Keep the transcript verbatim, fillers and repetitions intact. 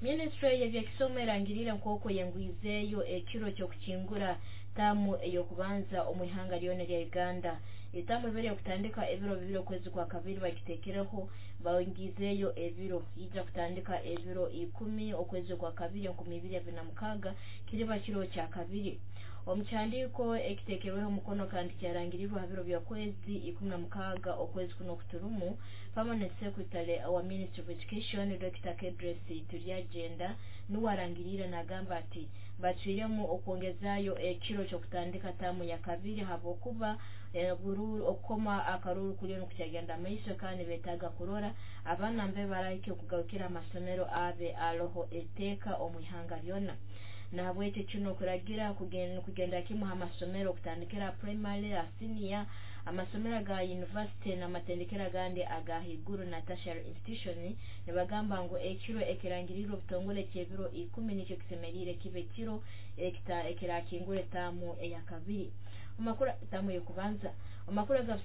Minisitule y'ebyekisomo erangiriire nk'oku eyengwizeeyo ekiro ky'okukingura taamu ey'okubanza omu ihanga lyona erya Uganda. Etaamu ebere okutandika ebiro bibiri okwezi kwa kabiri bagiteekereho, bongiizeeyo ebiro, ija kutandika ebiro ikumi okwezi kwa kabiri enkumi ibiri abiri na mukaaga, kiriba kiro kya kabiri. Omu kihandiiko ekiteekerweho omukono kandi kyarangirirwa ha biro by'okwezi ikumi na mukaaga okwezi kuno okuturumu, Permanent Secretary wa Ministry of Education Doctor Kedrace Turyagyenda nuwe arangiriire nagamba ati bacwiremu okwongezaayo ekiro ky'okutandika taamu ya kabiri habwokuba okukoma akaruru kuliyo nikukyagenda maiso, kandi beetaaga kurora abaana mbe barahika okugarukira amasomero abe aroho etteeka omu ihanga lyona. Nahabwekyo kino kuragira kugenda kimu ha masomero okutandikira primary, senior, amasomero aga university n'amatendekero agandi aga haiguru na tertiary institution. Nibagamba ngu ekiro ekirangirirwe obutongole eky'ebiro ikumi nikyo kisemeriire kibe ekiro ekirakingura etaamu eya kabiri, taamu ey'okubanza. Amakuru aga